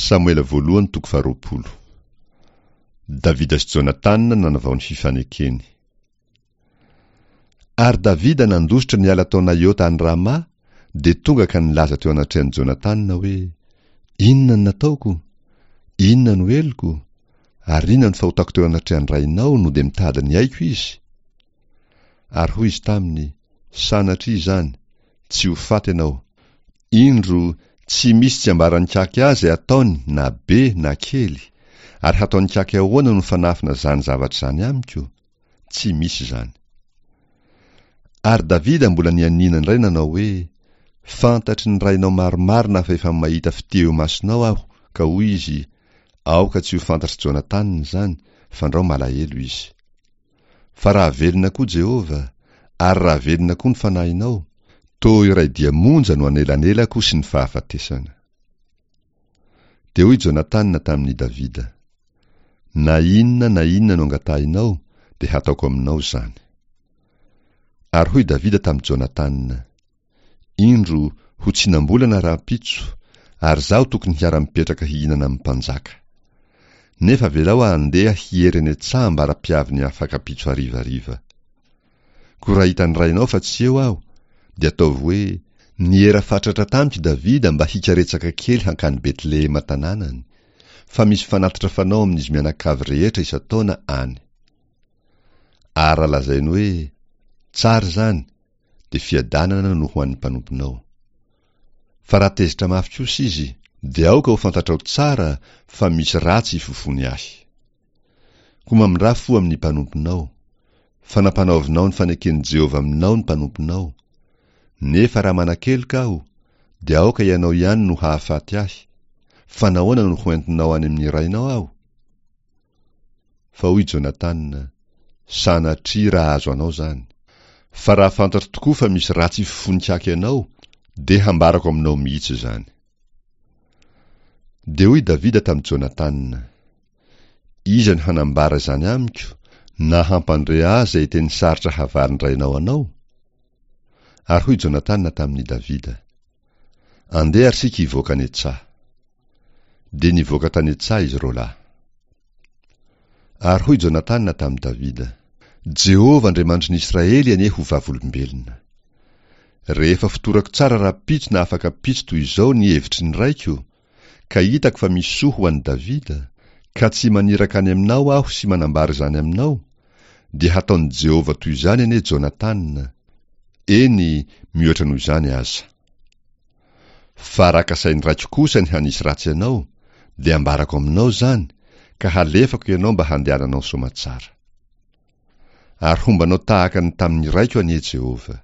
Samoela voalohany toko faharoapolo. Davida sy Jonatana nanavao ny fifanekeny. Ary Davida nandositra niala tao Naiota any Rama, dia tonga ka nilaza teo anatrehan'i Jonatana hoe, Inona no nataoko? Inona no heloko? Ary inona no fahotako teo anatrehan'ny rainao no dia mitady ny aiko izy? Ary hoy izy taminy, Sanatria izany, tsy ho faty ianao. Indro, tsy misy tsy ambaran'ikaky ahy izay ataony na be na kely, ary hataon'ikaky ahoana no fanafina izany zavatra izany amiko? Tsy misy izany. Ary Davida mbola nianiana indray nanao hoe, Fantatry ny rainao marimarina fa efa mahita fitia eo imasonao aho, ka hoy izy, Aoka tsy ho fantatr'i Jonatana izany, fandrao malahelo izy. Fa raha velona koa Jehovah, ary raha velona koa ny fanahinao, toa iray dia monja no anelanelako sy ny fahafatesana. Dia hoy Jonatana tamin'i Davida, Na inona na inona no angatahinao, dia hataoko aminao izany. Ary hoy Davida tamin'i Jonatana, Indro, ho tsinam-bolana rahampitso, ary izaho tokony hiara-mipetraka hihinana amin'ny mpanjaka. Nefa avelao aho handeha hiery any an-tsaha ambara-piavin'ny afak'ampitso harivariva. Koa raha hitan'ny rainao fa tsy eo aho, dia ataovy hoe, 'Niera fatratra tamiko Davida mba hikaretsaka kely hankany Betlehema tanànany, fa misy fanatitra fanao amin'izy mianakavy rehetra isan-taona any. Ary raha lazainy hoe, 'Tsara izany', dia fiadanana no ho an'ny mpanomponao. Fa raha tezitra mafy kosa izy, dia aoka ho fantatrao tsara fa misy ratsy ifofoany ahy. Koa mamindrà fo amin'ny mpanomponao, fa nampanaovinao ny faneken'i Jehovah aminao ny mpanomponao. Nefa raha manan-keloka aho, dia aoka ianao ihany no hahafaty ahy, fa nahoana no hoentinao any amin'ny rainao aho? Fa hoy Jonatana, Sanatria raha azo anao izany! Fa raha fantatro tokoa fa misy ratsy ifofoan-kaky anao, dia hambarako aminao mihitsy izany. Dia hoy Davida tamin'i Jonatana, Iza no hanambara izany amiko, na hampandre ahy izay teny sarotra havalin-drainao anao? Ary hoy Jonatana tamin'i Davida, Andeha ary isika hivoaka any an-tsaha. Dia nivoaka tany an-tsaha izy roalahy. Ary hoy Jonatana tamin'i Davida, Jehovah Andriamanitry ny Israely anie ho vavolombelona. Rehefa fotorako tsara rahampitso na afak'ampitso toy izao ny hevitry ny raiko, ka hitako fa misy soa ho an'i Davida, ka tsy maniraka any aminao aho sy manambara izany aminao, dia hataon'i Jehovah toy izany anie Jonatana, eny, mihoatra noho izany aza. Fa raha kasain'ny raiko kosa ny hanisy ratsy anao, dia ambarako aminao izany, ka halefako ianao mba handehananao soamatsara. Ary homba anao tahaka ny tamin'ny raiko anie Jehovah.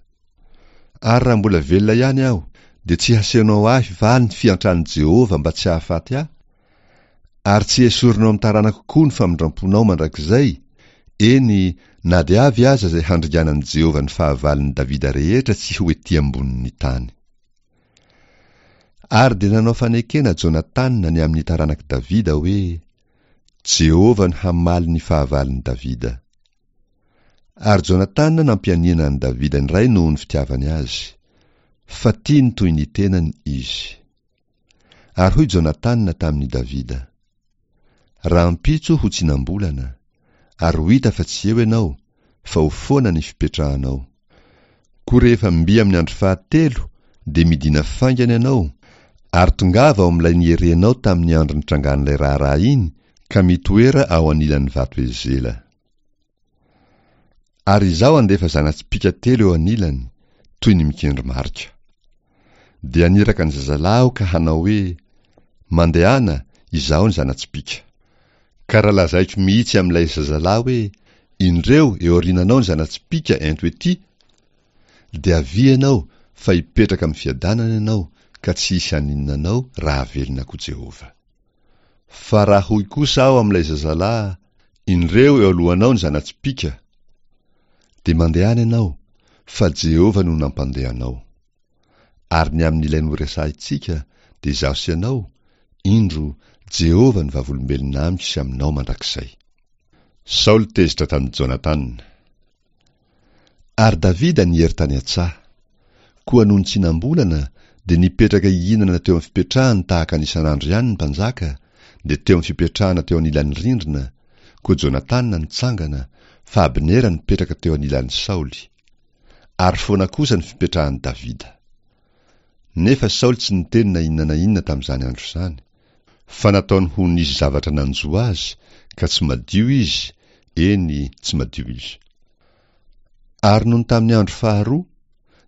Ary raha mbola velona ihany aho, dia tsy hasehonao ahy va ny fiantran'i Jehovah mba tsy hahafaty ahy? Ary tsy hesorinao amin'ny taranako koa ny famindram-ponao mandrakizay, eny, na dia avy aza izay handringanan'i Jehovah ny fahavalon'i Davida rehetra tsy ho etỳ ambonin'ny tany. Ary dia nanao fanekena Jonatana ny amin'ny taranak'i Davida hoe, Jehovah no hamaly ny fahavalon'i Davida. Ary Jonatana nampianiana an'i Davida indray noho ny fitiavany azy, fa tiany toy ny tenany izy. Ary hoy Jonatana tamin'i Davida, Rahampitso ho tsinam-bolana, ary ho hita fa tsy eo ianao, fa ho foana ny fipetrahanao. Koa rehefa mby amin'ny andro fahatelo, dia midìna faingana ianao, ary tongava ao amin'ilay nierenao tamin'ny andro nitrangan'ilay raharaha iny, ka mitoera ao anilan'ny vato Ezela. Ary izaho handefa zana-tsipìka telo eo anilany, toy ny mikendry marika. Dia haniraka ny zazalahy aho ka hanao hoe, Mandehana, izaho ny zana-tsipìka. Ka raha lazaiko mihitsy amin'ilay zazalahy hoe, Indreo, eo aoriananao ny zana-tsipìka, ento etỳ, dia avia ianao, fa hipetraka amin'ny fiadanana ianao, ka tsy hisy haninona anao raha velona koa Jehovah. Fa raha hoy kosa aho amin'ilay zazalahy, Indreo eo alohanao ny zana-tsipìka, dia mandehana ianao, fa Jehovah no nampandeha anao. Ary ny amin'ilay noresahintsika, dia izaho sy ianao, indro, Jehovah no vavolombelona amiko sy aminao mandrakizay. Saoly tezitra tamin'i Jonatana. Ary Davida niery tany an-tsaha. Koa nony tsinam-bolana, Dia nipetraka hihinana teo amin'ny fipetrahany tahaka ny isan'andro ihany ny mpanjaka, dia teo amin'ny fipetrahana teo anilan'ny rindrina, koa Jonatana nitsangana, fa Abnera nipetraka teo anilan'i Saoly. Ary foana kosa ny fipetrahan'i Davida. Nefa Saoly tsy niteny na inona na inona tamin'izany andro izany, fa nataony ho nisy zavatra nanjo azy, ka tsy madio izy, eny, tsy madio izy. Ary nony tamin'ny andro faharoa,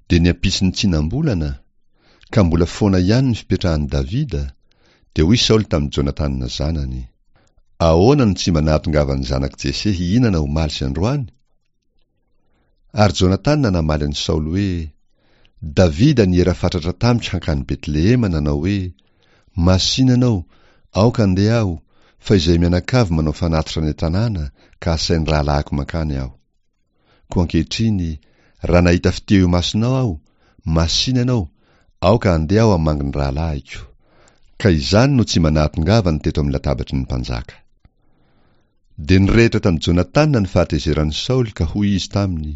dia ny ampitson'ny tsinam-bolana, ka mbola foana ihany ny fipetrahan'i Davida, dia hoy Saoly tamin'i Jonatana zanany, Ahoana no tsy mba nahatongavan'ny zanak'i Jese hihinana omaly sy androany? Ary Jonatana namaly an'i Saoly hoe, Davida niera fatratra tamiko hankany Betlehema nanao hoe, Masìna ianao, aoka handeha aho, fa izay mianakavy manao fanatitra any an-tanàna, ka asain'ny rahalahiko mankany aho. Koa ankehitriny, raha nahita fitia eo imasonao aho, masìna ianao, aoka handeha aho hamangy ny rahalahiko. Ka izany no tsy mba nahatongavany teto amin'ny latabatry ny mpanjaka. Dia nirehitra tamin'i Jonatana ny fahatezeran'i Saoly ka hoy izy taminy,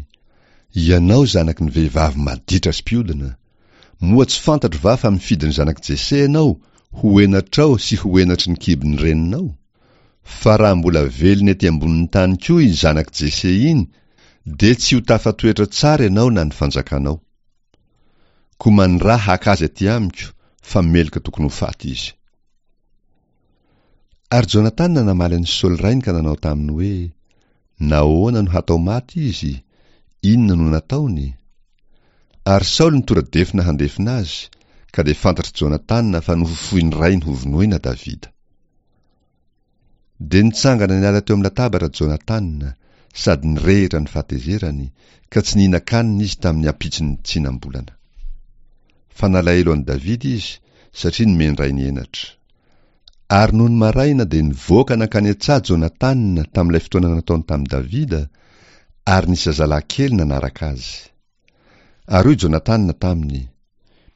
Ianao zanaky ny vehivavy maditra sy mpiodina, moa tsy fantatro va fa mifidy ny zanak'i Jese ianao ho henatrao sy ho henatry ny kibon'ny reninao? Fa raha mbola velona ety ambonin'ny tany koa iny zanak'i Jese iny, dia tsy ho tafatoetra tsara ianao na ny fanjakanao. Koa maniraha haka azy aty amiko, fa meloka tokony ho faty izy. Ary Jonatana namaly an'i Saoly rainy ka nanao taminy hoe, Nahoana no hatao maty izy? Inona no nataony? Ary Saoly nitora-defona handefona azy, ka dia fantatr'i Jonatana fa nofofoin'ny rainy hovonoina Davida. Dia nitsangana niala teo amin'ny latabatra Jonatana, sady nirehitra ny fahatezerany, ka tsy nihinan-kanina izy tamin'ny ampitson'ny tsinam-bolana. Fa nalahelo an'i Davida izy, satria nomen-drainy henatra. Ary nony maraina dia nivoaka nankany an-tsaha Jonatana tamin'ilay fotoana nataony tamin'i Davida, ary nisy zazalahy kely nanaraka azy. Ary hoy Jonatana taminy,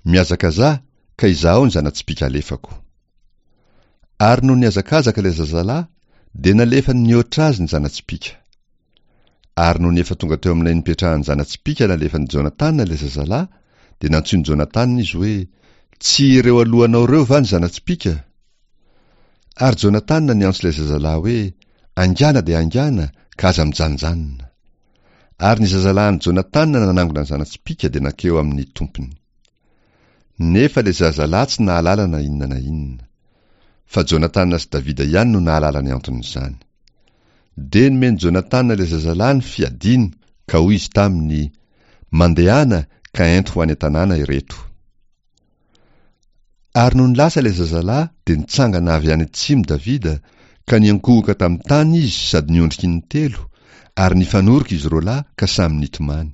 Mihazakazaha, ka izahao ny zana-tsipìka alefako. Ary nony nihazakazaka ilay zazalahy, dia nalefany nihoatra azy ny zana-tsipìka. Ary nony efa tonga teo amin'ilay nipetrahan'ny zana-tsipìka nalefan'i Jonatana ilay zazalahy, dia nantsoin'i Jonatana izy hoe, Tsy ireo alohanao ireo va ny zana-tsipìka? Ary Jonatana niantso ilay zazalahy hoe, Haingàna dia haingàna, ka aza mijanonjanona. Ary ny zazalahin'i Jonatana nanangona ny zana-tsipìka dia nankeo amin'ny tompony. Nefa ilay zazalahy tsy nahalala na inona na inona. Fa Jonatana sy Davida ihany no nahalala ny anton'izany. Dia nomen'i Jonatana ilay zazalahy ny fiadiany, ka hoy izy taminy, Mandehana ka ento ho any an-tanàna ireto. Ary nony lasa ilay zazalahy dia nitsangana avy any atsimo Davida, ka niankohoka tamin'ny tany izy sady niondrika intelo, ary nifanoroka izy roalahy ka samy nitomany.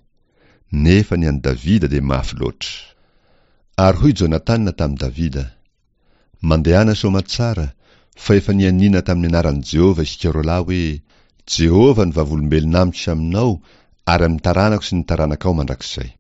Nefa ny an'i Davida dia mafy loatra. Ary hoy Jonatana tamin'i Davida, Mandehana soamatsara, fa efa nianiana tamin'ny anaran'i Jehovah isika roalahy hoe, 'Jehovah no vavolombelona amiko sy aminao ary amin'ny taranako sy ny taranakao mandrakizay.